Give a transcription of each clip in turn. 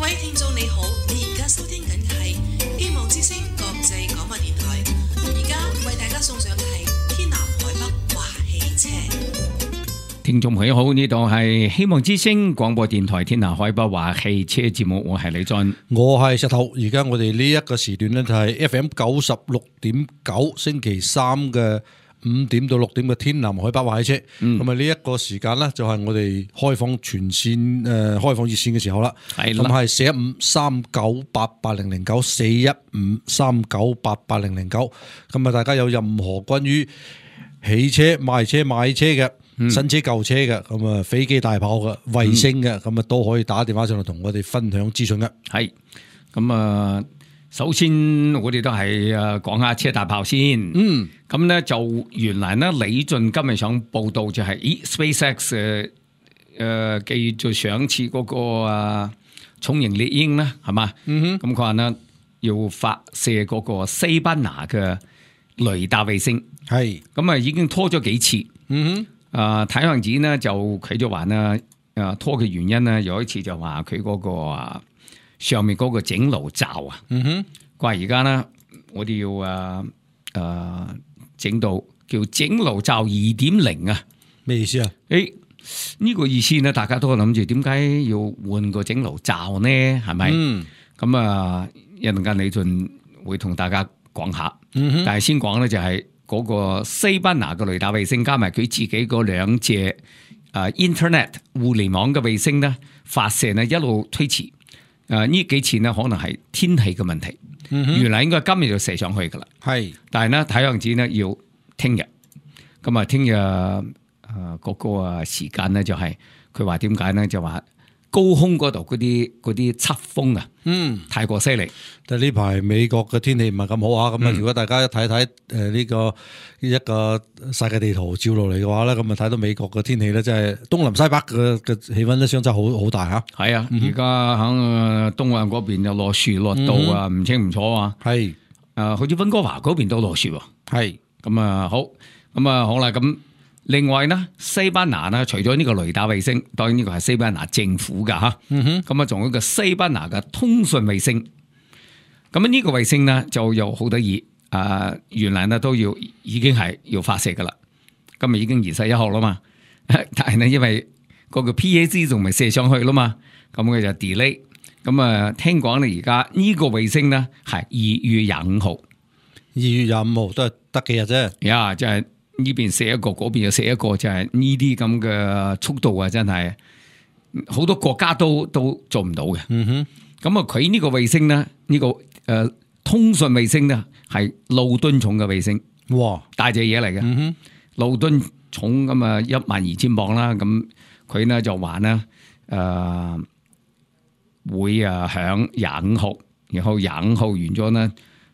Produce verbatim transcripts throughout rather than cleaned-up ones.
各位聽眾你好，你而家收聽緊嘅係希望之聲國際廣播電台，而家為大家送上嘅係天南海北話汽車。聽眾朋友好，呢度係希望之聲廣播電台天南海北話汽車節目，我係李俊，我係石頭。而家我哋呢一個時段呢，就係 F M 九十六點九，星期三嘅五點到六點嘅天南海北話汽車。咁啊呢一個時間呢，就係我哋開放全線誒、呃、開放熱線嘅時候啦。係咁係四一五三九八八零零九，四一五三九八八零零九。咁啊大家有任何關於汽車賣車買車嘅。新車舊車嘅，咁啊飛機大炮嘅，衛星嘅，咁啊都可以打電話上嚟同我哋分享資訊嘅。係咁啊，首先我哋都係誒講下車大炮先。嗯，咁咧就原來咧李俊今日想報道就係、是，咦 SpaceX 誒、呃、繼續上次嗰個啊重型獵鷹啦，係嘛？嗯哼，咁佢話咧要發射嗰個西班牙嘅雷達衛星，係咁啊已經拖咗幾次。嗯哼。啊！睇樣子呢，就佢就話呢，誒拖嘅原因呢，有一次就話佢嗰個啊上面嗰個整爐罩啊，嗯哼，佢話而家呢，我哋要誒誒整到叫整爐罩二點零啊，咩意思啊？誒、欸、呢、這個意思呢，大家都諗住點解要換個整爐罩呢？係咪？嗯，咁啊一陣間李俊會同大家講下，嗯哼，但係先講呢，就係、是。嗰個西班牙嘅雷達衛星加埋佢自己嗰兩隻誒 Internet 互聯網嘅衛星咧，發射呢一路推遲。誒呢幾次呢可能係天氣嘅問題，嗯、原來應該今日就射上去噶啦。係，但係呢睇樣子呢要聽日。咁啊聽日誒嗰個啊時間呢就係佢話點解呢？就話高空嗰度嗰啲嗰啲側風啊，嗯，太過犀利。但係呢排美國嘅天氣唔係咁好啊，咁啊，如果大家一睇睇誒呢個一個世界地圖照落嚟嘅話咧，咁啊睇到美國嘅天氣咧，真係東南西北嘅嘅氣溫咧相差好好大嚇。係啊，而家喺東岸嗰邊又落雪落到啊，唔清唔楚啊。係，誒好似溫哥華嗰邊都落雪喎。係，咁啊好，咁啊好啦咁。另外呢，西班牙呢，除咗呢個雷達衛星，當然呢個係西班牙政府噶吓，咁啊仲有一個西班牙嘅通訊衛星。咁啊呢個衛星呢就有好得意，啊原來呢都要已經係要發射噶啦，今日已經二十一號啦嘛，但係呢因為嗰個 P A C 仲未射上去啦嘛，咁佢就 delay。咁啊聽講呢而家呢個衛星呢係二月廿五號，二月廿五號都係得幾日啫，呀即係。呢邊射一個，嗰邊又射一個，就係呢啲咁嘅速度啊！真係好多國家都都做唔到嘅。嗯哼，咁啊，佢呢個衛星咧，呢、呢個誒、呃、通訊衛星咧，係路噸重嘅衛星。哇，大隻嘢嚟嘅。嗯哼，路噸重咁啊，一萬二千磅啦。咁佢咧就話咧誒會啊響廿五號，然後廿五號完咗咧。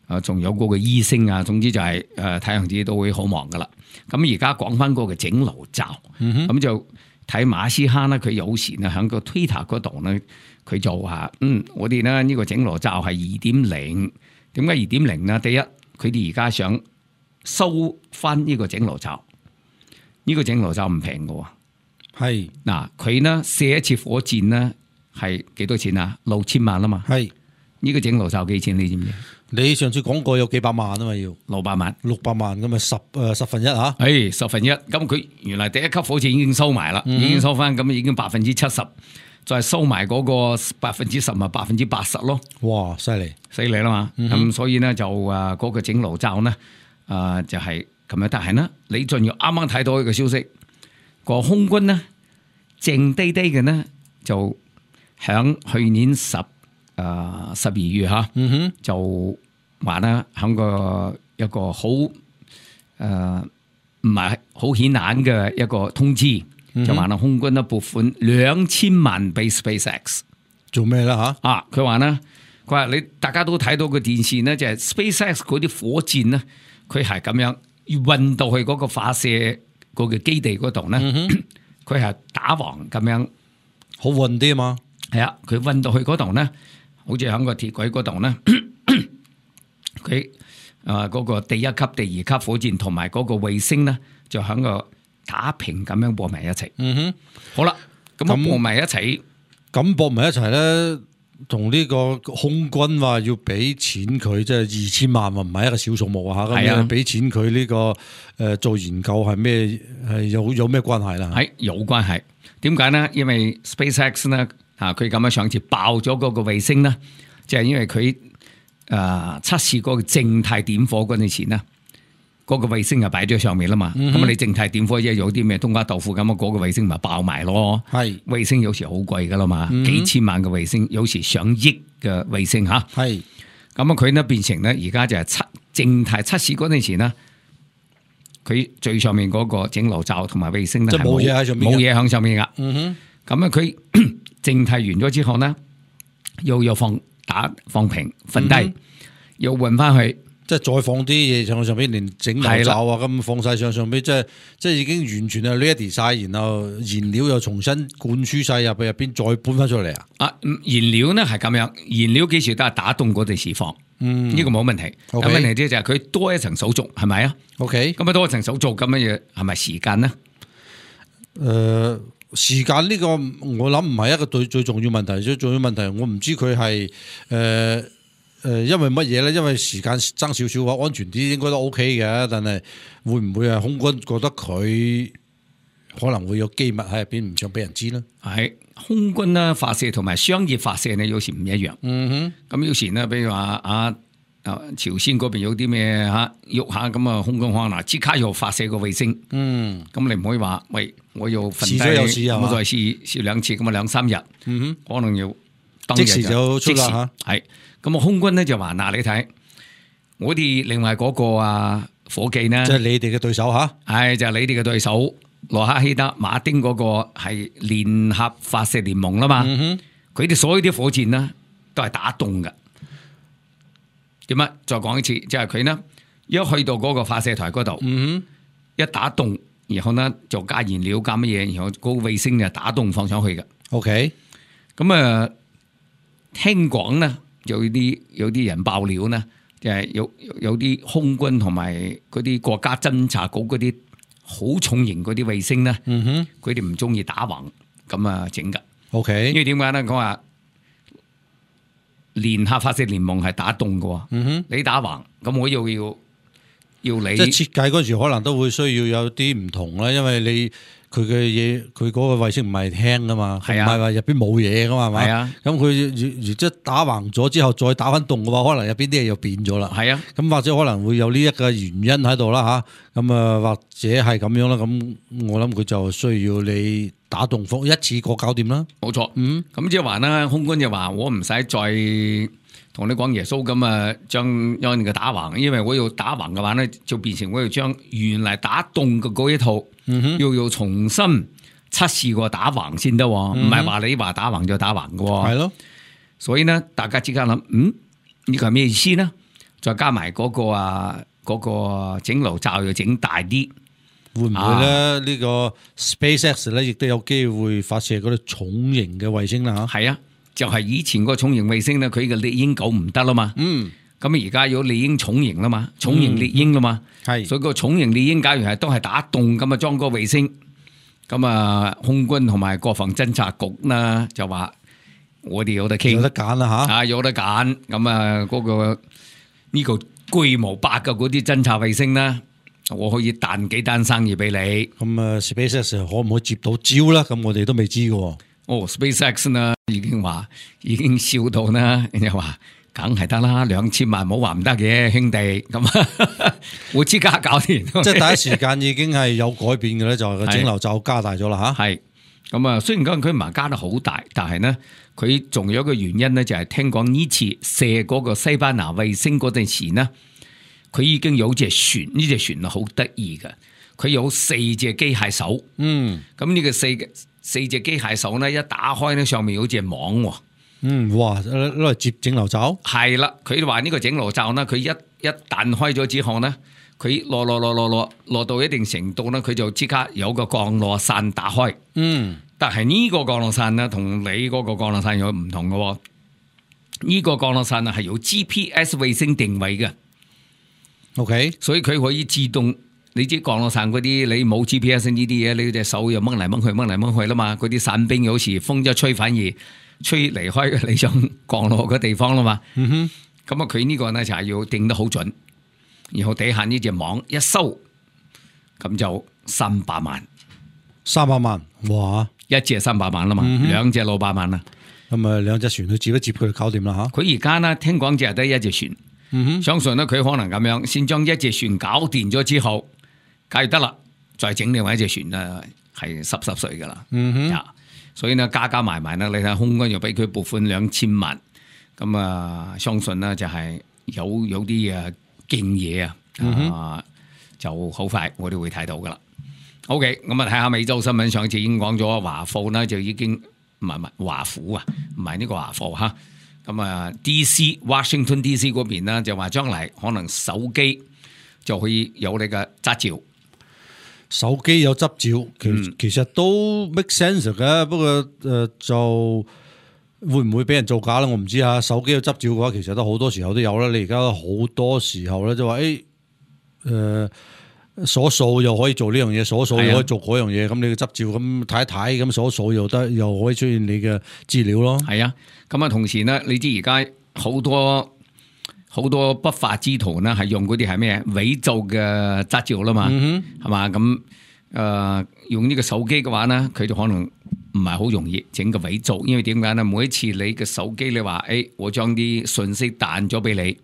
啊，仲有嗰個醫星啊，總之就係誒太陽子都會好忙噶啦。咁而家講翻嗰個整爐罩，咁、嗯、就睇馬斯克咧，佢有時咧喺個 Twitter 嗰度咧，佢就話：嗯，我哋咧呢個整爐罩係二點零。點解二點零呢？第一，佢哋而家想收翻呢個整爐罩，呢、呢個整爐罩唔平嘅喎。係嗱，佢呢射一次火箭呢係幾多錢啊？六千萬啊嘛。係呢、呢個整爐罩幾錢？你知唔知？你上次講過有幾百萬啊嘛，要六百萬，六百萬咁啊十誒十分一吓，誒十分一，咁佢原來第一級火箭已經收埋啦、嗯，已經收翻，咁已經百分之七十，再收埋嗰個百分之十咪百分之八十咯。哇，犀利，犀利啦嘛，咁、嗯、所以咧就誒嗰個整爐罩咧誒就係咁樣，但係呢，李俊耀啱啱睇到一個消息，個空軍呢，靜低低嘅呢，就響去年十。誒十二月嚇、嗯，就話咧喺個一個好誒唔係好顯眼嘅一個通知，嗯、就話咧空軍咧撥款兩千萬俾 SpaceX 做咩啦嚇？啊，佢話咧，佢話你大家都睇到個電視咧，就係、是、SpaceX 嗰啲火箭咧，佢係咁樣要運到去嗰個發射嗰個基地嗰度咧，佢、嗯、係打橫咁樣好運啲啊嘛。係啊，佢運到去嗰度咧。好似喺個鐵軌嗰度咧，佢誒嗰個第一級、第二級火箭同埋嗰個衛星咧，就喺個打平咁樣播埋一齊。嗯哼，好啦，咁播埋一齊，咁播埋一齊咧，同呢個空軍話要俾錢佢，即係二千萬喎，唔係一個小數目啊嚇。咁樣俾錢佢呢個誒做研究係咩係有有咩關係啦？係有關係。點解呢？因為 SpaceX 呢，啊，佢咁樣上次爆咗嗰個衛星呢，就係因為佢誒測試嗰個靜態點火嗰陣時呢。嗰個衛星就擺咗上面啦嘛，咁、嗯、你靜態點火即係有啲咩冬瓜豆腐咁啊，嗰、那個衛星咪爆埋咯。係衛星有時好貴噶啦嘛，嗯、幾千萬嘅衛星，有時上億嘅衛星吓。係咁啊，佢呢變成咧，而家就係測靜態測試嗰陣時呢，佢最上面嗰個整流罩同埋衛星咧，冇嘢喺上面，冇嘢喺上面噶。嗯哼，咁啊，佢靜態完咗之後呢，又又放打放平瞓低，嗯、又換翻去。即係再放啲嘢上上邊，連整流罩啊咁放晒上上邊，即係即係已經完全係 ready 晒，然後燃料又重新灌輸晒入去入邊，再搬翻出嚟啊！啊，燃料呢係咁樣，燃料幾時都係打凍嗰陣時放，嗯，呢個冇問題。咁、okay. 問題啫就係佢多一層手續，係咪啊 ？OK，咁啊多一層手續咁嘅嘢，係咪時間呢？誒、呃，時間呢個我諗唔係一個最最重要問題，最重要問題我唔知佢係誒。呃誒，因為乜嘢咧？因為時間爭少少嘅話，安全啲應該都 OK 嘅。但係會唔會係空軍覺得佢可能會有機密喺入邊，唔想俾人知咧？係空軍啦，發射同埋商業發射呢，有時唔一樣。嗯哼，咁有時呢，比如話啊啊，朝鮮嗰邊有啲咩吓喐下咁啊，空軍可能即刻又發射個衛星。嗯，咁你唔可以話喂，我要瞓低，我再試試兩次，咁啊兩三日。嗯哼，可能要當日即時就出啦吓。係。咁啊，空軍咧就話嗱，你睇我哋另外嗰個啊伙計呢，即係你哋嘅對手吓，係就係、是、你哋嘅對手羅克希德馬丁嗰個係聯合發射聯盟啦嘛，佢、嗯、哋所有啲火箭呢都係打凍㗎。點啊？再講一次，即係佢呢一去到嗰個發射台嗰度、嗯，一打凍，然後呢就加燃料加乜嘢，然後嗰個衛星就打凍放上去嘅。OK， 咁啊，聽講呢。有啲有啲人爆料呢，就係、是、有有啲空軍同埋嗰啲國家偵察局嗰啲好重型嗰啲衛星呢，佢哋唔中意打橫咁啊整噶。OK， 因為點解呢？講話聯合發射聯盟係打凍嘅、嗯，你打橫，咁我又要要你。即係設計嗰時可能都會需要有啲唔同啦，因為你。佢嘅嘢，佢嗰個衛星唔係輕噶嘛，唔係話入邊冇嘢噶嘛，係嘛？係啊。咁佢如如即係打橫咗之後，再打翻凍嘅話，可能入邊啲嘢又變咗啦。係啊。咁或者可能會有呢一個原因喺度啦吓。咁啊，或者係咁樣啦。咁我諗佢就需要你打凍風一次過搞掂啦。冇錯。嗯。咁即係話啦，空軍就話我唔使再同你講耶穌咁啊，將將個打橫，因為我要打橫嘅話咧，就變成我要將原來打凍嘅嗰一套。嗯、要要重新測試過打橫先得，唔係話你話打橫就打橫嘅。係咯，所以呢，大家即刻諗，嗯，呢個係咩意思呢？再加埋嗰個啊，嗰個整流罩要整大啲，會唔會咧？呢、啊呢個 SpaceX 咧，亦都有機會發射嗰啲重型嘅衛星啦？吓，係啊，就係、是、以前個重型衛星咧，佢嘅獵鷹九唔得啦嘛。嗯。咁而家有獵鷹重型啦嘛，重型獵鷹啦嘛，係、嗯，所以個重型獵鷹假如係都係打洞咁啊裝個衛星，咁啊空軍同埋國防偵察局呢就話我哋有得傾，有得揀啦吓，啊有得揀，咁啊嗰個呢個巨無霸嘅嗰啲偵察衛星呢，我可以彈幾單生意俾你。咁啊 SpaceX 可唔可以接到招啦？咁我哋都未知嘅。哦 SpaceX 呢已經話已經笑到呢，人家話。梗係得啦，兩千萬冇話唔得嘅，兄弟咁，我即刻搞掂。即係第一時間已經係有改變嘅咧，就係個整流罩加大咗啦吓。係咁啊，雖然講佢唔係加得好大，但係呢，佢仲有一個原因咧，就係聽講呢次射嗰個西班牙衛星嗰陣時呢，佢已經有隻船，呢隻船啊好得意嘅，佢有四隻機械手。嗯，咁呢個四四隻機械手呢，一打開呢，上面有隻網。嗯，哇！攞嚟接整流罩，係啦。佢話呢個整流罩呢，佢一一彈開咗之後呢，佢落落落落落落到一定程度呢，佢就即刻有個降落傘打開。嗯，但係呢個降落傘呢，同你嗰個降落傘有唔同嘅。呢、這個降落傘啊係有 G P S 衛星定位嘅。OK， 所以佢可以自動你知降落傘嗰啲，你冇 G P S 呢啲嘢，你隻手又掹嚟掹去掹嚟掹去啦嘛。嗰啲傘兵有時風一吹，反而吹離開你想降落嘅地方啦嘛。嗯哼，咁啊佢呢個咧就係要定得好準，然後底下呢隻網一收，咁就三百萬，三百萬，哇！一隻三百萬啦嘛，嗯、兩隻六百萬啦。咁啊兩隻船去接一接佢就搞掂啦嚇。佢而家呢，聽講只係得一隻船，嗯、哼相信呢，佢可能咁樣先將一隻船搞掂咗之後，梗係得啦，再整另外一隻船啊，係濕濕碎噶啦。嗯哼，所以呢，加加埋埋呢，你睇空軍又俾佢撥款兩千萬，咁啊相信呢，就係有有啲啊勁嘢啊，嗯、啊就好快我哋會睇到噶啦。OK， 咁啊睇下美洲新聞，上次已經講咗華埠呢就已經唔係唔係華府啊，唔係呢個華埠嚇。咁啊 D C Washington D C 嗰邊呢就話將來可能手機就可以有你嘅執照，手機有執照，其、嗯、其實都 make sense 嘅。不過誒、呃、就會唔會俾人造假咧？我唔知啊。手機有執照嘅話，其實都好多時候都有啦。你而家好多時候咧就話誒誒。鎖數又可以做呢樣嘢，鎖數又可以做嗰樣嘢，咁、啊、你嘅執照咁睇一睇，咁鎖數又得，又可以出現你嘅資料咯。係啊，咁啊同時呢，你知而家好多好多不法之徒呢，係用嗰啲係咩偽造嘅執照啦嘛，係嘛咁誒用呢個手機嘅話呢，佢就可能唔係好容易整個偽造，因為點解呢？每一次你嘅手機你話誒、哎，我將啲信息彈咗俾你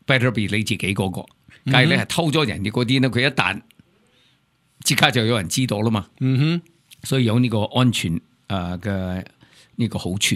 ，better be 你自己嗰、那個。假如你係偷咗人哋嗰啲咧，佢一彈即刻就有人知道啦嘛。嗯哼，所以有呢個安全誒嘅呢個好處。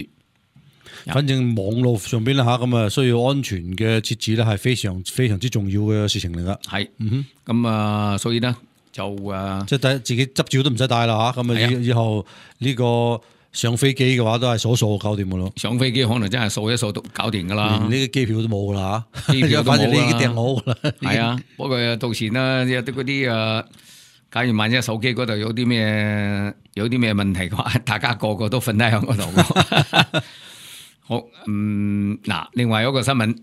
反正網絡上邊啦吓，咁啊需要安全嘅設置咧，係非常非常之重要嘅事情嚟噶。係，嗯哼，咁啊，所以咧就誒，即係帶自己執照都唔使帶啦吓，咁啊以以後呢個。上飛機嘅話都係掃掃搞掂噶咯，上飛機可能真係掃一掃都搞掂噶啦，連呢啲機票都冇噶啦嚇，機票都冇啦，反正你已經訂好噶啦。係啊，不過到時呢，有啲嗰啲誒，假如萬一手機嗰度有啲咩有啲咩問題嘅話，大家個個都瞓低喺嗰度。好，嗯，嗱，另外有一個新聞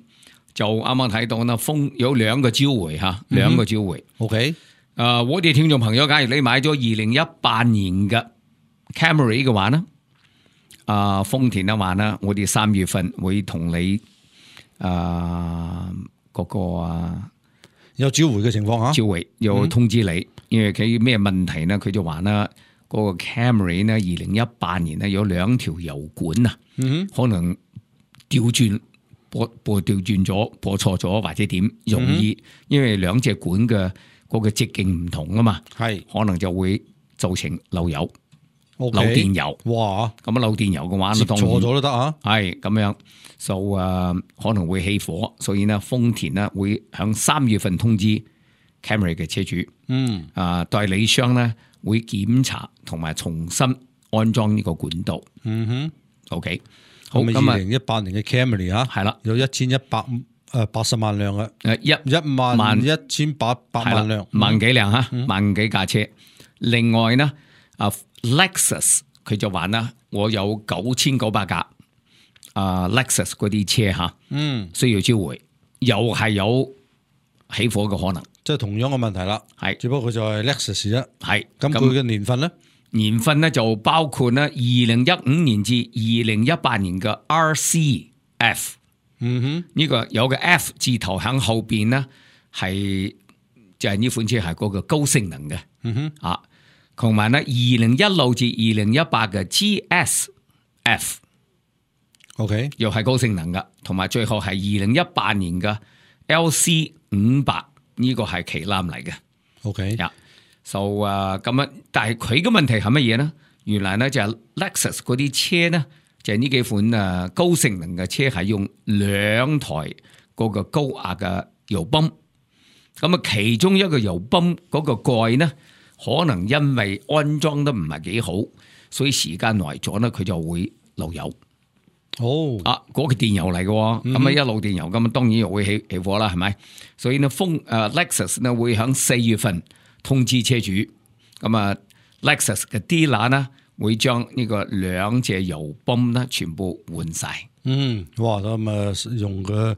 就啱啱睇到啦，風有兩個召回嚇，兩個召回。OK，誒、呃，我哋聽眾朋友，假如你買咗二零一八年嘅 Camry 嘅話呢？啊，豐田啊話啦，我哋三月份會同你啊嗰個啊有召回嘅情況吓，召回有通知你，嗯、因為佢咩問題呢？佢就話啦，嗰、那個 Camry 呢，二零一八年呢有兩條油管啊，嗯、可能調轉播播調轉咗，播錯咗或者點容易，嗯、因為兩隻管嘅嗰個直徑唔同啊嘛，係可能就會造成漏油。Okay, 漏電油，哇！咁啊漏電油嘅話，接錯咗都得啊，係咁樣，就誒、呃、可能會起火，所以呢，豐田呢會響三月份通知 Camry 嘅車主，嗯，啊、呃、代理商呢會檢查同埋重新安裝呢個管道，嗯哼 ，OK， 好，咁啊，二零一八年嘅 Camry 啊，係啦，有一千一百誒八十萬輛嘅，誒一一萬一千八百萬輛，萬幾輛吓，嗯、萬幾架車，另外呢啊。Lexus 佢就話啦，我有九千九百架啊 Lexus 嗰啲車吓，嗯，需要召回，又係有起火嘅可能，即係同樣嘅問題啦，係，只不過佢就係 Lexus 啫，係，咁佢嘅年份咧，年份咧就包括咧二零一五年至二零一八年嘅 R C F， 嗯哼，呢個有個 F 字頭喺後邊咧，係就係呢款車係嗰個高性能嘅，嗯哼，啊。同埋咧，二零一六至二零一八嘅 G S F，OK， 又係高性能嘅，同埋最後係二零一八年嘅 L C 五百呢個係旗艦嚟嘅，OK，呀，就誒咁樣，但係佢嘅問題係乜嘢呢？原來咧就係 Lexus 嗰啲車呢，就係呢幾款誒高性能嘅車係用兩台嗰個高壓嘅油泵，咁啊其中一個油泵嗰個蓋呢，可能因為安裝得唔係幾好，所以時間耐咗咧，佢就會漏油。哦，啊，嗰、那個電油嚟嘅，咁、嗯、啊一路電油，咁啊當然又會起起火啦，係咪？所以呢，豐誒、uh, Lexus 呢會喺四月份通知車主，咁啊 Lexus 嘅 dealer 呢會將呢個兩隻油泵呢全部換晒。嗯，哇，咁啊用嘅。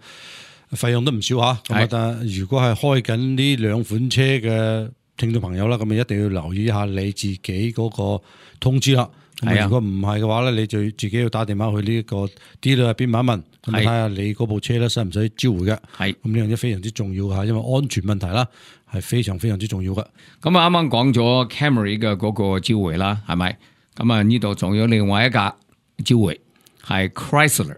費用都唔少嚇。咁啊，但係如果係開緊呢兩款車嘅聽眾朋友啦，咁啊一定要留意一下你自己嗰個通知啦。咁如果唔係嘅話咧，你就自己要打電話去呢個 dealer 入邊問一問，咁睇下你嗰部車咧使唔使召回嘅。係咁呢樣嘢非常之重要嚇，因為安全問題啦係非常非常之重要嘅。咁啊啱啱講咗 Camry 嘅嗰個召回啦，係咪？咁啊呢度仲有另外一架召回係 Chrysler。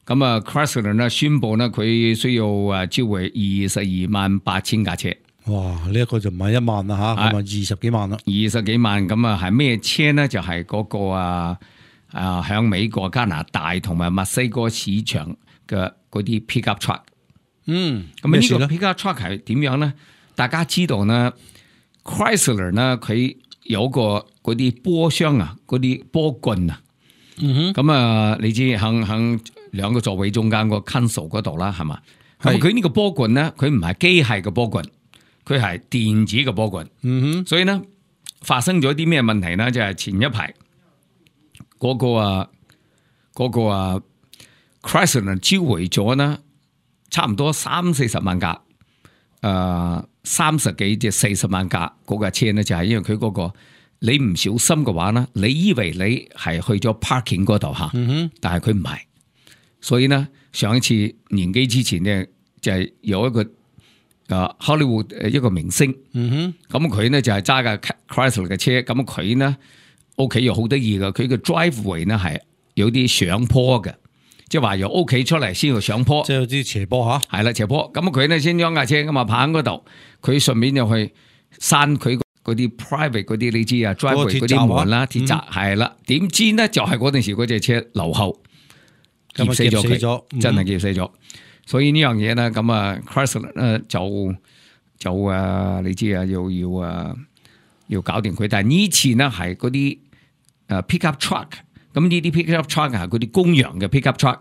咁啊 Chrysler 呢宣布呢佢需要誒召回二十二萬八千架車。哇！呢、這、一個就唔係一萬啦嚇，咁啊二十幾萬啦，二十幾萬咁啊係咩車呢？就係、是、嗰個啊啊響美國、加拿大同埋墨西哥市場嘅嗰啲 pickup truck。嗯，咁呢個 pickup truck 係點樣呢？大家知道呢 Chrysler 呢佢有個嗰啲波箱啊，嗰啲波棍啊。嗯哼。咁啊，你知響響兩個座位中間個 console 嗰度啦，係嘛？咁佢呢個波棍呢，佢唔係機械嘅波棍。佢係電子嘅波棍，嗯哼，所以呢發生咗啲咩問題呢？就係、是、前一排嗰、那個啊，嗰、那個啊 Chrysler 召回咗呢，差唔多三四十萬架，誒三十幾至四十萬架嗰架車呢，就係、是、因為佢嗰、那個你唔小心嘅話呢，你以為你係去咗 parking 嗰度吓，嗯哼，但係佢唔係，所以呢上一次年幾之前呢，就係、是、有一個。啊，Hollywood 誒一個明星，嗯哼，咁佢呢就係揸架 Chrysler 嘅車，咁佢呢屋企又好得意嘅，佢嘅 driveway 呢係有啲上坡嘅，即係話由屋企出嚟先要上坡，即係有啲斜坡吓，係啦斜坡，咁佢呢先將架車咁啊泊喺嗰度，佢順便又去閂佢嗰啲 private 嗰啲你知啊 driveway 嗰啲門啦，鐵閘係啦，點、嗯、知呢就係嗰陣時嗰隻車留後，夾死咗佢，嗯、真係夾死咗。所以呢樣嘢咧，咁啊 Chrysler 咧就就啊，你知啊，要要啊要搞掂佢。但係呢次呢係嗰啲誒 pickup truck，咁呢啲 pickup truck 係嗰啲公羊嘅 pickup truck，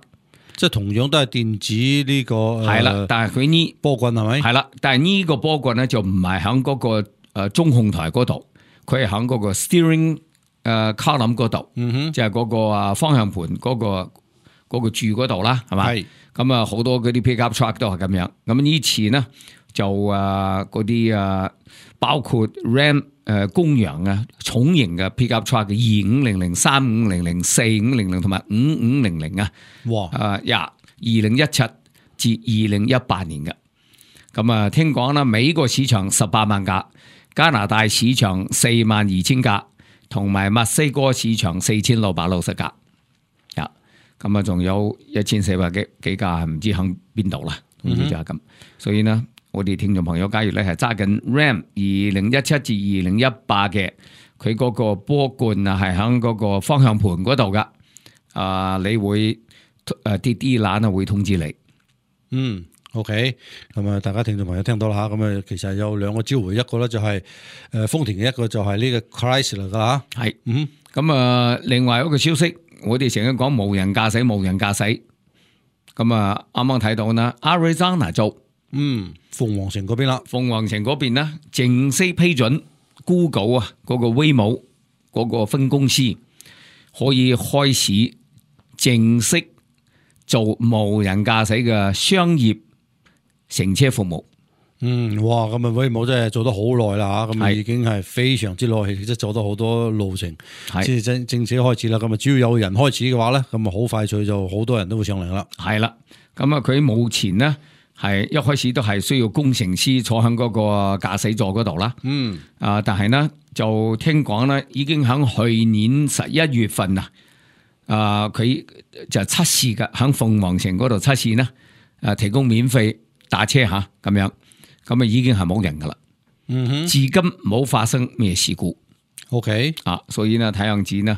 即係同樣都係電子呢、這個係啦、呃。但係佢呢波棍係咪？係啦，但係呢個波棍咧就唔係喺嗰個誒中控台嗰度，佢係喺嗰個 steering 誒 column 嗰度，嗯哼，即係嗰個啊方向盤嗰、那個嗰、那個柱嗰度啦，係嘛？係。咁啊，好多嗰啲 pickup truck 都係咁樣。咁呢次呢，就啊嗰啲啊，包括 Ram 誒、呃、公羊啊，重型嘅 pickup truck 嘅二五零零、三五零零、四五零零同埋五五零零啊。哇！啊呀，二零一七至二零一八年嘅。咁啊，聽講啦，美國市場十八萬架，加拿大市場四萬二千架，同埋墨西哥市場四千六百六十架。咁啊，仲有一千四百幾幾架，唔知響邊度啦，總之就係咁。所以呢，我哋聽眾朋友，假如咧係揸緊 Ram 二零一七至二零一八嘅，佢嗰個波棍啊係響嗰個方向盤嗰度噶，啊，你會誒啲啲欄啊會通知你。嗯 ，OK，咁啊，大家聽眾朋友聽到啦吓，咁啊，其實有兩個召回，一個咧就係誒豐田嘅，一個就係呢個 Chrysler 噶吓。係，嗯，咁啊，另外一個消息。我哋成日講無人駕駛，無人駕駛，咁啊啱啱睇到啦 Arizona 州，嗯，鳳凰城嗰邊啦，鳳凰城嗰邊呢，正式批准 Google 啊嗰個 Waymo 嗰個分公司可以開始正式做無人駕駛嘅商業乘車服務。嗯，哇！咁啊，Waymo真係做得好耐啦吓，咁啊已經係非常之耐，即係做得好多路程，先至正正式開始啦。咁啊，只要有人開始嘅話咧，咁啊好快脆就好多人都會上嚟啦。係啦，咁啊佢目前呢係一開始都係需要工程師坐喺嗰個駕駛座嗰度啦。嗯，啊，但係呢就聽講咧，已經喺去年十一月份啊，啊佢就測試嘅喺鳳凰城嗰度測試呢，誒提供免費打車吓咁樣。咁啊，已經係冇人噶啦，嗯哼，至今冇發生咩事故。OK，啊，所以呢，睇樣子呢，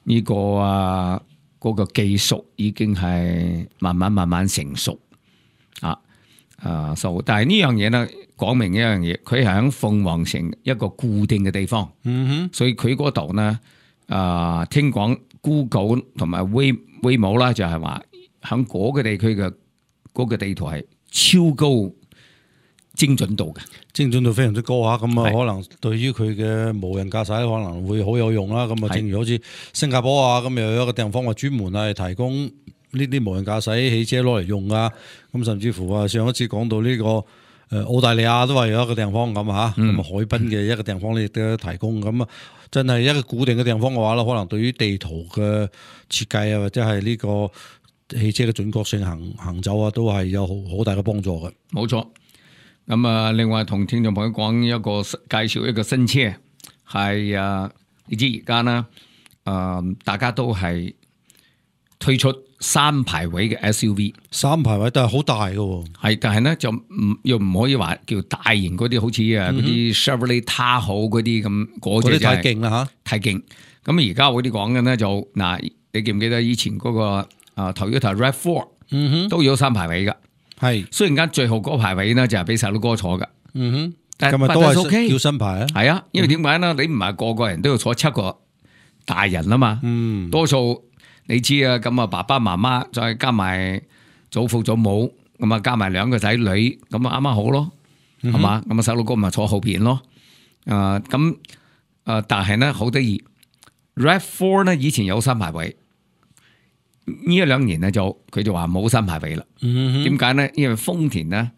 呢、這個啊嗰、那個技術已經係慢慢慢慢成熟，啊啊，所但係呢樣嘢呢，講明一樣嘢，佢係喺鳳凰城一個固定嘅地方，嗯哼，所以佢嗰度呢，啊，聽講 Google 同埋 Way Waymo 啦，就係話喺嗰個地區嘅嗰個地圖係超高。精準度嘅，精準度非常之高吓，咁啊可能對於佢嘅無人駕駛可能會好有用啦。咁啊，正如好似新加坡啊，咁又有一個地方話專門係提供呢啲無人駕駛汽車攞嚟用啊。咁甚至乎啊，上一次講到呢、這個。誒澳大利亞都係有一個地方咁嚇，咁啊、嗯、海濱嘅一個地方咧亦都提供咁啊，真係一個固定嘅地方嘅話咧，可能對於地圖嘅設計啊，或者係呢個汽車嘅準確性行行走啊，都係有好好大嘅幫助嘅。冇錯。咁啊，另外同聽眾朋友講一個介紹一個新車，係啊，你知而家呢，誒、呃、大家都係推出三排位嘅 S U V， 三排位都係好大嘅喎，係，但係咧就唔又唔可以話叫大型嗰啲，好似啊嗰啲 Chevrolet Tahoe 嗰啲咁，嗰隻太勁啦嚇，太勁。咁而家我哋講嘅咧就嗱，你記唔記得以前嗰、那個啊 Toyota RAV 四、嗯、哼都有三排位嘅，係雖然間最後嗰排位呢就係俾細佬哥坐嘅，嗯哼，但係都係 OK 叫新牌啊，係啊，因為點解呢？你唔係個個人都要坐七個大人啊嘛，嗯，多數。你知啊，咁啊爸爸媽媽再加埋祖父祖母，咁啊加埋兩個仔女，咁啊啱啱好咯，係嘛、嗯哼？咁啊細佬哥咪坐後邊咯。啊咁啊，但係咧好得意 ，RAV 四咧以前有三排位，呢一兩年咧就佢就話冇三排位啦。點解咧？因為豐田咧，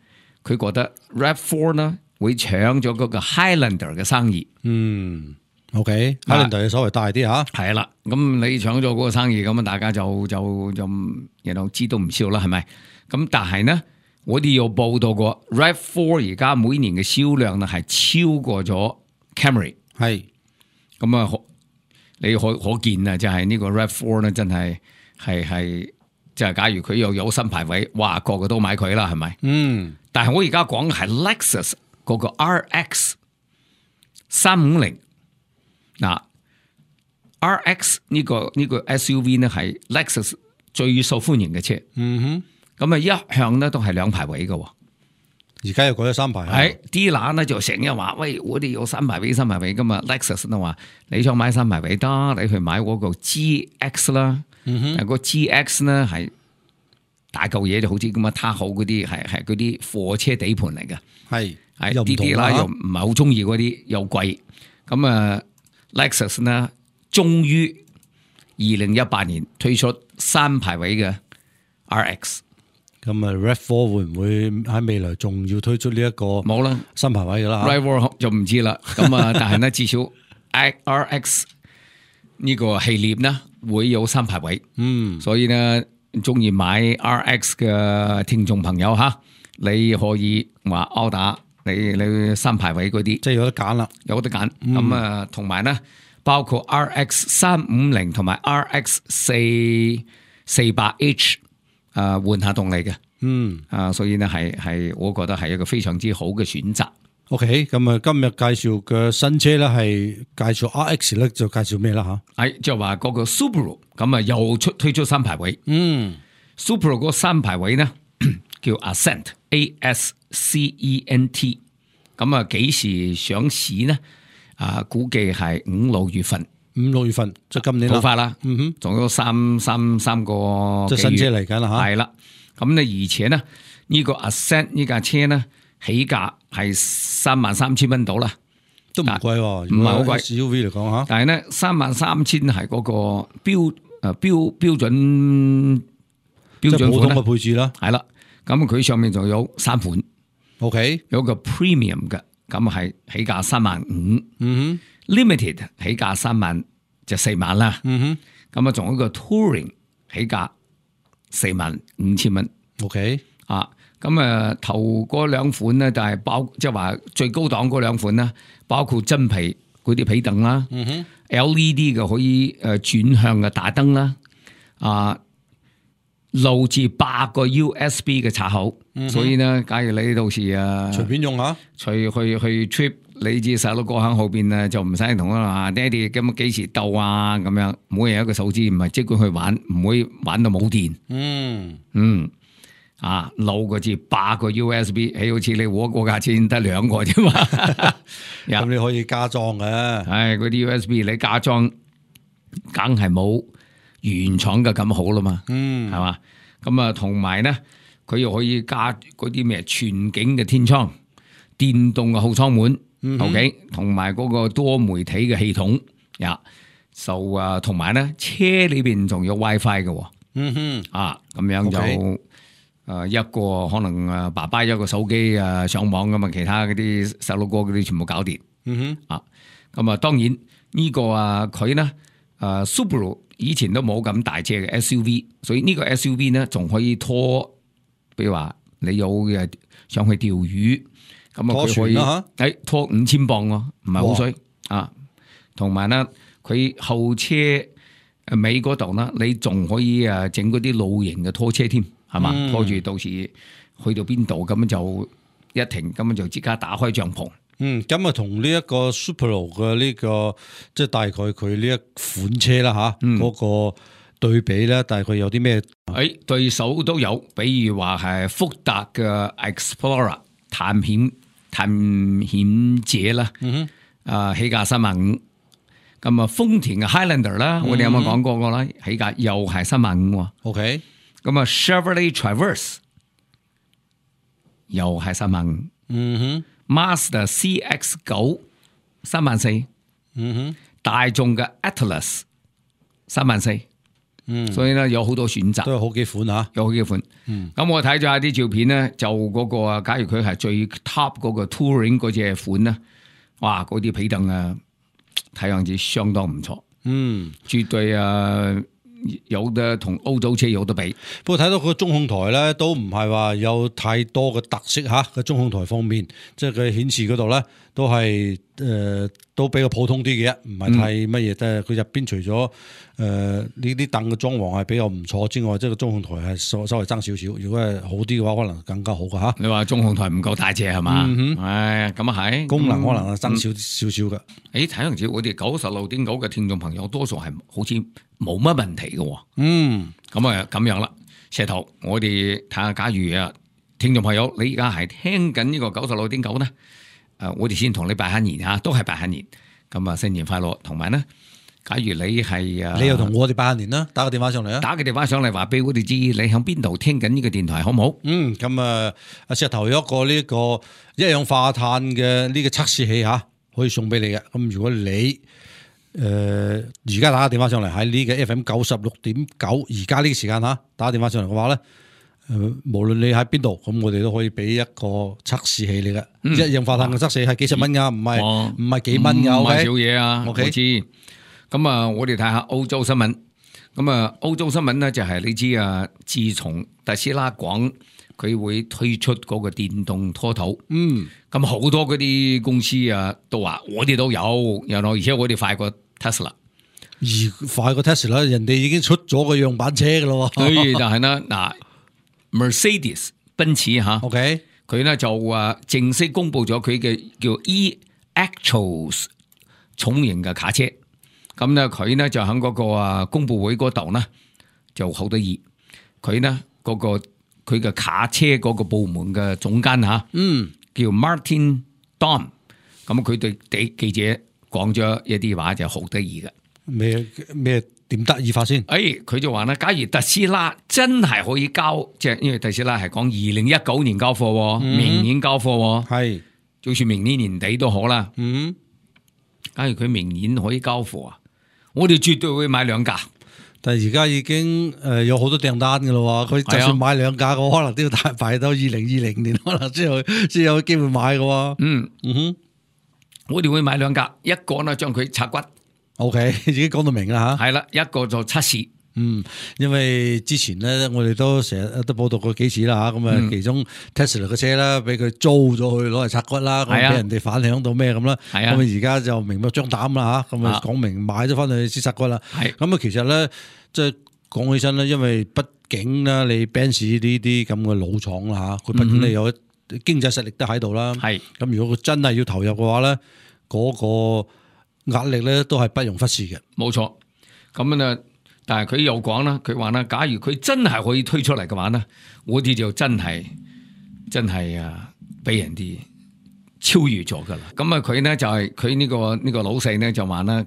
佢覺得 RAV 四咧會搶咗嗰個 Highlander 嘅生意。嗯。O K，Highlander 稍微大啲吓，係啦，咁你搶咗嗰個生意，咁啊大家就就就然後知道唔少啦，係咪？咁但係呢，我哋有報道過 RAV 四而家每年嘅銷量呢係超過咗 Camry， 係，咁啊你可可見啊，就係呢個 RAV 四呢真係係係，即係假如佢又有新排位，哇個個都買佢啦，係咪？嗯，但係我而家講嘅係 Lexus 嗰個 R X 三五零。嗱 ，R X 呢、這個呢、這個 S U V 呢係 Lexus 最受歡迎嘅車，嗯哼，咁啊一向咧都係兩排位嘅，而家又改咗三排，係啲乸咧就成日話，喂，我哋有三排位三排位噶嘛 ，Lexus 都話你想買三排位得，你去買嗰個 G X 啦，嗯哼，但個 G X 呢係大嚿嘢，就好似咁啊，他好嗰啲係係嗰啲貨車底盤嚟嘅，係係啲啲乸又唔係好中意嗰啲又貴，咁啊。Lexus 呢，終於二零一八年推出三排位嘅 R X， 咁啊 RAV 四會唔會喺未來仲要推出呢一個冇啦三排位噶啦 ？RAV 四就唔知啦。咁啊，但係呢，至少 R X 呢個系列呢會有三排位。嗯，所以呢，中意買 R X 嘅聽眾朋友吓，你可以話 order。你你三排位嗰啲，即係有得揀啦，有得揀。咁啊、嗯，同埋咧，包括 R X 三五零同埋 R X 四四百 H 啊，換下動力嘅。嗯，啊，所以呢，係係，我覺得係一個非常之好嘅選擇。OK，咁啊，今日介紹嘅新車咧，係介紹 R X 咧，就介紹咩啦吓？係就話嗰個 Subaru，咁啊又出推出三排位。嗯 ，Subaru 嗰三排位呢，叫 Ascent，A S C E N T， 咁啊幾時上市呢？啊，估計係五六月份，五六月份即係今年啦，好快啦。嗯哼，仲有三三三個即係新車嚟緊啦吓。係啦，咁咧而且呢，呢個 Ascent 呢架車呢，起價係三萬三千蚊到啦，都唔貴，唔係好貴。S U V 嚟講吓，但係呢，三萬三千係嗰個標誒標標準標準款嘅配置啦，係啦。咁佢上面仲有三款。OK， 有個 premium 嘅，咁係起價三萬五，嗯哼 ，limited 起價三萬就四萬啦，嗯哼，咁啊仲有一個 touring 起價四萬五千蚊 ，OK，啊，咁啊頭嗰兩款咧就係包，即係話最高檔嗰兩款啦，包括真皮嗰啲皮凳啦，嗯哼 ，L E D 嘅可以誒轉向嘅大燈啦，啊。路至八個 U S B 嘅插口，嗯、所以呢，假如你到時啊，隨便用下，隨去去 trip，你至細佬哥喺後邊啊，就唔使同佢話爹哋咁幾時到啊咁樣，每人一個手指，唔係即管去玩，唔會玩到冇電。嗯嗯，啊，路個至八個 U S B， 起好似你我嗰架車得兩個啫嘛，咁你可以加裝嘅。係嗰啲 U S B 你加裝，梗係冇原廠嘅咁好啦嘛，嗯，係嘛，咁啊，同埋咧，佢又可以加嗰啲咩全景嘅天窗、電動嘅後艙門、嗯、哼，OK， 同埋嗰個多媒體嘅系統，呀，就啊，同埋咧，車裏邊仲有 WiFi 嘅，嗯哼，啊，咁樣就 OK 誒一個可能誒爸爸一個手機誒上網咁啊，其他嗰啲細路哥嗰啲全部搞掂。嗯哼，啊，咁啊當然呢個啊佢咧誒 Subaru 以前都冇咁大車嘅 S U V， 所以呢個 S U V 咧仲可以拖，比如話你有嘅上去釣魚，咁啊拖佢可以船啦誒拖五千磅喎，唔係好水啊。同埋咧佢後車誒尾嗰度咧，你仲可以誒整嗰啲露營嘅拖車添，係嘛？嗯拖住到時去到邊度咁就一停，咁就即刻打開帳篷。嗯，咁啊同呢一個 Subaru 嘅呢個即係大概佢呢一款車啦吓，嗯嗰個對比咧，大概有啲咩？誒對手都有，比如話係福特嘅 Explorer 探險探險者啦，嗯啊起價三萬五。咁啊豐田嘅 Highlander 啦，我哋有冇講過個啦？起價又係三萬五喎。 ，OK，咁啊 Chevrolet Traverse 又係三萬五。嗯 Mazda C X 九三萬四。哼，嗯哼，大眾嘅 Atlas 三萬四。嗯，所以咧有好多選擇。都有好幾款吓。有好幾款，咁、嗯我睇咗下啲照片咧，就嗰、個啊，假如佢係最 top 嗰個 Touring 嗰隻款咧，哇，嗰啲皮凳啊，睇樣子相當唔錯，嗯，絕對啊有得同歐洲車有得比。不過睇到佢個中控台咧，都唔係話有太多嘅特色吓。個中控台方面，即係佢顯示嗰度咧，都係誒、呃、都比較普通啲嘅，唔係太乜嘢。但係佢入邊除咗誒呢啲凳嘅裝潢係比較唔錯之外，即係個中控台係稍稍微爭少少。如果係好啲嘅話，可能更加好嘅吓。你話中控台唔夠大隻係嘛？嗯唉，咁啊係功能可能係爭少少少嘅。誒，睇樣子我哋九十六點九嘅聽眾朋友，多數係好似冇乜問題嘅喎。嗯，咁啊咁樣啦，石頭，我哋睇下，假如啊，聽眾朋友，你而家係聽緊呢個九十六點九咧，誒，我哋先同你拜下年嚇，都係拜下年，咁啊新年快樂，同埋咧，假如你係啊，你又同我哋拜下年啦，打個電話上嚟啊。打個電話上嚟話俾我哋知，你喺邊度聽緊呢個電台，好唔好？嗯，咁啊，阿石頭有一個呢個一氧化碳嘅呢個測試器吓，可以送俾你嘅。咁如果你誒而家打個電話上嚟喺呢個 F M 九十六點九，而家呢個時間吓打個電話上嚟嘅話咧，誒、呃、無論你喺邊度，咁我哋都可以俾一個測試器你嘅。嗯一氧化碳嘅測試係幾十蚊噶，唔係哦唔係幾蚊噶唔係，OK？少嘢啊 OK 我知。咁啊，我哋睇下歐洲新聞。咁啊，歐洲新聞咧就係你知啊，自從特斯拉講佢會推出嗰個電動拖頭，嗯，咁好多嗰啲公司啊都話我哋都有，然後而且我哋快過 Tesla。而快過 Tesla，人哋已經出咗個樣板車噶咯。所以但係咧嗱 ，Mercedes 奔馳嚇， OK，佢咧就啊正式公布咗佢嘅叫 E-Actros 重型嘅卡車。咁咧佢咧就喺嗰個啊公佈會嗰度咧就好得意，佢咧嗰個佢嘅卡車嗰個部門嘅總監嚇，嗯，叫 Martin Daum，咁佢對啲記者講咗一啲話就好得意嘅。咩咩點得意法先？誒，佢就話咧，假如特斯拉真係可以交，即係因為特斯拉係講二零一九年交貨喎，嗯明年交貨喎，係，就算明年年底都好啦。嗯。假如佢明年可以交貨啊，我哋絕對會買兩架。但係而家已經誒有好多訂單嘅咯喎，佢就算買兩架嘅，可能都要大排到二零二零年，可能先有先有機會買嘅喎。嗯嗯哼我哋會買兩架，一個呢將佢拆骨， ，OK，已經講到明啦嚇。係啦，一個就測試。嗯，因為之前咧，我哋都成日都報道過幾次啦嚇，咁啊，嗯其中 Tesla 嘅車啦，俾佢租咗去攞嚟拆骨啦，咁俾係啊人哋反響到咩咁啦，係啊咁啊而家就明目張膽啦嚇，咁啊啊講明買咗翻去先拆骨啦。係咁啊，其實咧，即係講起身咧，因為畢竟咧，你 Benz 呢啲咁嘅老廠啦嚇，佢畢竟你有經濟實力都喺度啦。係咁如果佢真係要投入嘅話咧，嗰、個壓力咧都係不容忽視嘅。冇錯。咁啊，但係佢又講啦，佢話啦，假如佢真係可以推出嚟嘅話咧，我哋就真係真係啊，俾人哋超越咗噶啦。咁啊，佢咧就係佢呢個呢、個老細咧就話啦，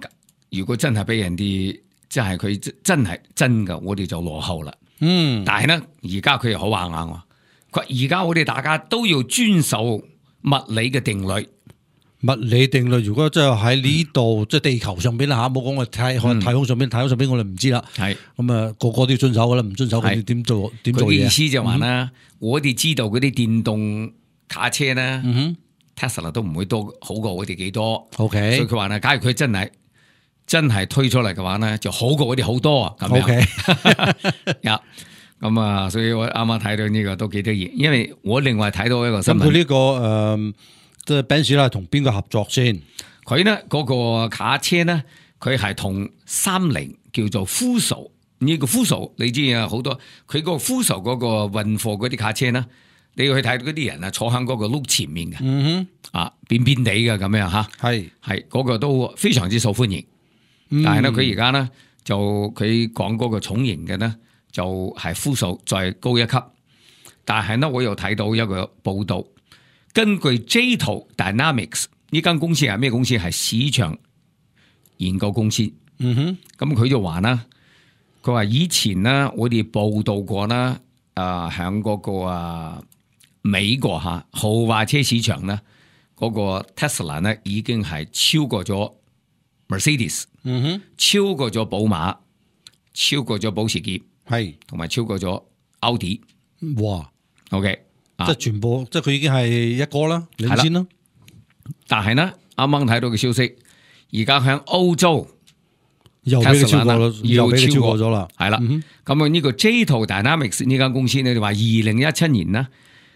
如果真係俾人哋即係佢真係真噶，我哋就落後啦。嗯，但係咧，而家佢又好硬硬喎。佢而家我哋大家都要遵守物理嘅定律。物理定律，如果真係喺呢度，即係地球上邊啦嚇，冇講我太太空上邊，太空上邊我哋唔知啦。係咁啊，個個都要遵守噶啦，唔遵守佢哋點做點做嘢？佢嘅意思就話啦，我哋知道嗰啲電動卡車咧，Tesla 都唔會多好過我哋幾多。OK，所以佢話咧，假如佢真係真係推出嚟嘅話咧，就好過我哋好多啊。咁樣 OK，呀，咁啊，所以我啱啱睇到呢個都幾得意，因為我另外睇到一個新聞。咁佢呢個誒，即係 Benz 啦，同邊個合作先？佢咧嗰個卡車咧，佢係同三菱叫做 Fuso 呢個 Fuso，你知啊，好多佢個 Fuso 嗰個運貨嗰啲卡車咧，你要去睇到嗰啲人啊，坐喺嗰個轆前面嘅，嗯哼，啊扁扁地嘅咁樣吓，係係嗰個都非常之受歡迎。嗯、但係咧，佢而家咧就佢講嗰個重型嘅咧，就係 Fuso再高一級。但係咧，我又睇到一個報道，根據 J-T Dynamics 呢間公司係咩公司？係市場研究公司。嗯哼，咁佢就話啦，佢話以前咧，我哋報道過啦，啊響嗰個啊美國吓豪華車市場咧，嗰、那個 Tesla 咧已經係超過咗 Mercedes，嗯哼，超過咗寶馬，超過咗保時捷，係同埋超過咗奧迪。哇 OK，即係全部，即係佢已經係一個啦，領先啦。但係呢，啱啱睇到嘅消息，而家響歐洲又俾佢超過啦，又俾佢超過咗啦。係啦，咁啊呢個 J-T Dynamics 呢間公司咧，就話二零一七年呢，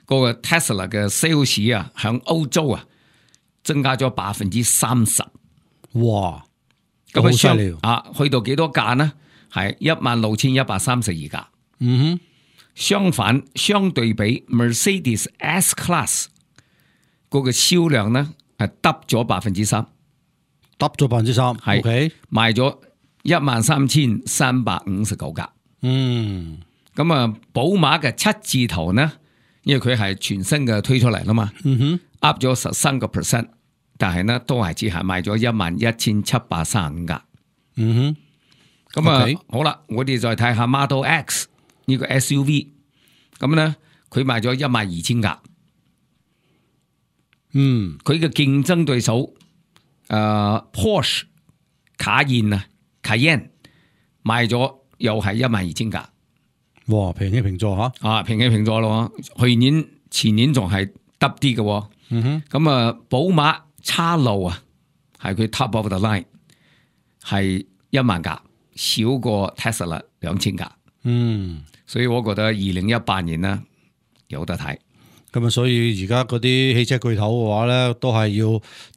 嗰個 Tesla 嘅 sales 啊，響歐洲啊增加咗百分之三十。哇！咁好犀利啊！去到幾多架呢？係一萬六千一百三十二架。嗯哼，相反，相對比 Mercedes S Class 嗰個銷量呢，係得咗百分之三，得咗百分之三。係 OK，賣咗一萬三千三百五十九架。嗯，咁啊，寶馬嘅七字頭呢，因為佢係全新嘅推出嚟啦嘛，嗯哼 up 咗十三個 percent。但係呢，都係只係賣咗一萬一千七百三十五架。嗯哼，咁啊 Okay. 好啦，我哋再睇下 Model X 呢個 S U V，咁咧佢賣咗一萬二千架。嗯，佢嘅競爭對手誒、呃、Porsche 卡宴啊，Cayenne 賣咗又係一萬二千架。哇，平起平坐吓。啊，平起平坐咯。去年前年仲係得啲嘅。嗯哼，咁啊，寶馬叉路啊，係佢 top of the line，係一萬架，少過 Tesla 兩千架。嗯，所以我覺得二零一八年呢有得睇。咁啊，所以而家嗰啲汽車巨頭嘅話咧，都係要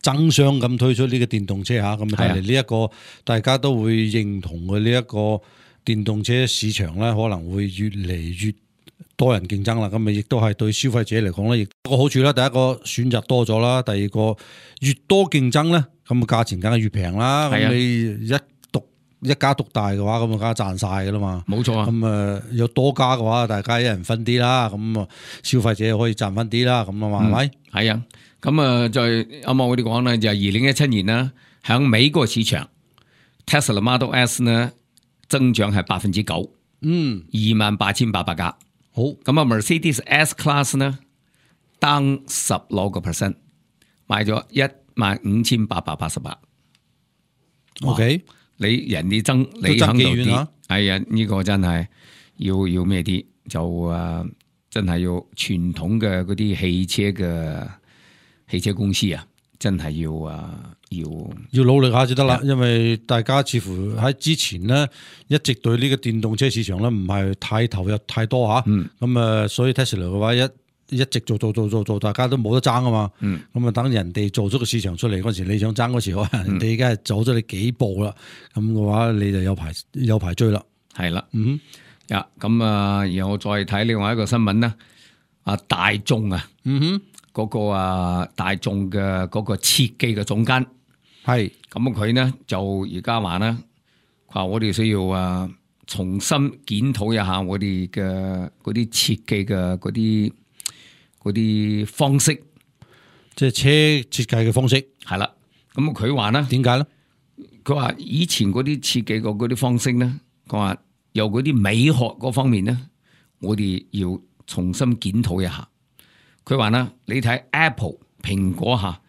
爭相咁推出呢個電動車吓，咁睇嚟呢一個大家都會認同嘅呢一個電動車市場咧，可能會越嚟越多人競爭啦。咁咪亦都係對消費者嚟講咧，亦個好處啦。第一個選擇多咗啦，第二個越多競爭咧，咁價錢梗係越平啦。咁你一獨一家獨大嘅話，咁啊梗係賺晒噶啦嘛。冇錯啊。咁啊有多家嘅話，大家一人分啲啦。咁啊消費者可以賺翻啲啦。咁啊嘛係咪？係啊。咁啊再啱啱我哋講咧，就係二零一七年啦，響美國市場 Tesla Model S 呢增長係百分之九，嗯，二萬八千八百架。好，咁啊 Mercedes S Class 呢tăng十六個 percent， 賣咗一萬五千八百八十八。OK，你人哋爭你響度啲，係啊，呢個真係要要咩啲？就誒、呃，真係要傳統嘅嗰啲汽車嘅汽車公司啊，真係要誒、呃、要要努力下就得啦。因為大家似乎喺之前咧，一直對呢個電動車市場咧唔係太投入太多吓。咁啊、嗯，所以 Tesla 嘅話一一直做做做做做，大家都冇得爭啊嘛。咁啊、嗯，等人哋做咗個市場出嚟嗰時，你想爭嗰時，可能人哋而家係走咗你幾步啦。咁嘅話，你就有排有排追啦。係啦，嗯，呀，咁啊，然後我再睇另外一個新聞啦。啊，大眾啊，嗯哼，嗰個啊大眾嘅嗰個設計嘅總監係咁佢呢就而家話咧，佢話我哋需要啊重新檢討一下我哋嘅嗰啲設計嘅嗰啲嗰啲方式，即係車設計嘅方式係啦。咁佢話咧，點解咧？佢話以前嗰啲設計嘅嗰啲方式咧，佢話由嗰啲美學嗰方面咧，我哋要重新檢討一下。佢話咧，你睇 Apple 蘋果吓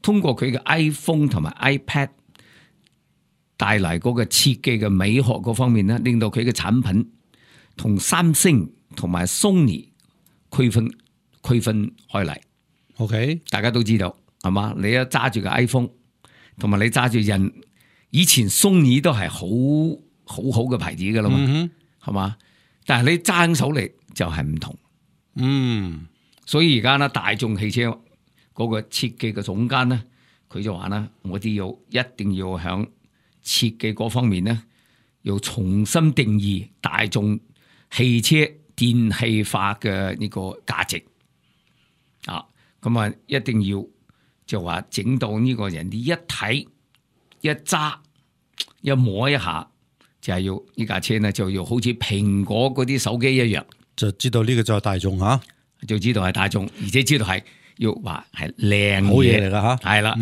通過佢嘅 iPhone 同埋 iPad 帶嚟嗰個設計嘅美學嗰方面咧，令到佢嘅產品同三星同埋 Sony 區分區分開嚟。OK，大家都知道係嘛？你一揸住個 iPhone， 同埋你揸住人以前 Sony 都係好好好嘅牌子噶啦嘛，係嘛、嗯？但係你揸手嚟就係唔同。嗯，所以而家咧，大眾汽車嗰個設計嘅總監咧，佢就話咧，我哋要一定要響設計嗰方面咧，要重新定義大眾汽車電氣化嘅呢個價值啊！咁啊，一定要就話整到呢個人哋一睇一揸一摸一下，就係要呢架車咧，就要好似蘋果嗰啲手機一樣，就知道呢個就係大眾嚇，就知道係大眾，而且知道係要話係靚好嘢嚟㗎嚇，係啦。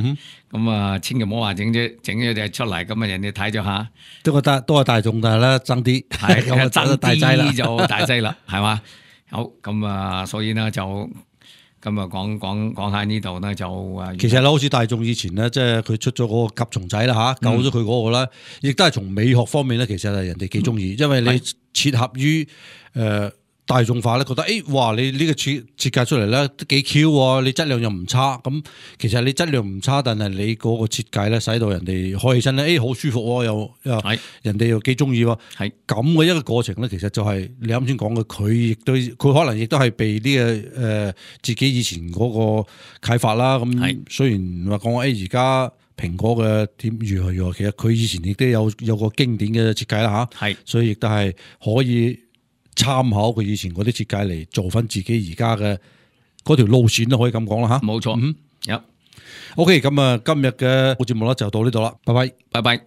咁啊，千祈唔好話整咗整咗隻出嚟，咁啊人哋睇咗下，都覺得都係大眾，但係咧爭啲，係咁啊爭大劑啦，啲就大劑啦，係嘛？好咁啊，所以呢，就咁啊講講講下呢度呢，就啊，其實咧好似大眾以前咧，即係佢出咗嗰個甲蟲仔啦嚇，救咗佢嗰個咧，亦都係從美學方面咧，其實係人哋幾中意，因為你切合於誒。呃大眾化咧，覺得誒、欸，哇！你呢個設設計出嚟咧都幾 Q 喎，你質量又唔差，咁其實你質量唔差，但係你嗰個設計咧，使到人哋開起身咧，誒、欸，好舒服喎，又又係人哋又幾中意喎，係咁嘅一個過程咧，其實就係你啱先講嘅，佢亦都佢可能亦都係被呢、這個誒、呃、自己以前嗰個啟發啦。咁係雖然話講誒而家蘋果嘅點如何如何，其實佢以前亦都有有個經典嘅設計啦嚇，係所以亦都係可以參考佢以前嗰啲設計嚟做翻自己而家嘅嗰條路線都可以咁講啦吓，冇錯。嗯，有 OK，咁啊，今日嘅節目咧就到呢度啦，拜拜，拜拜。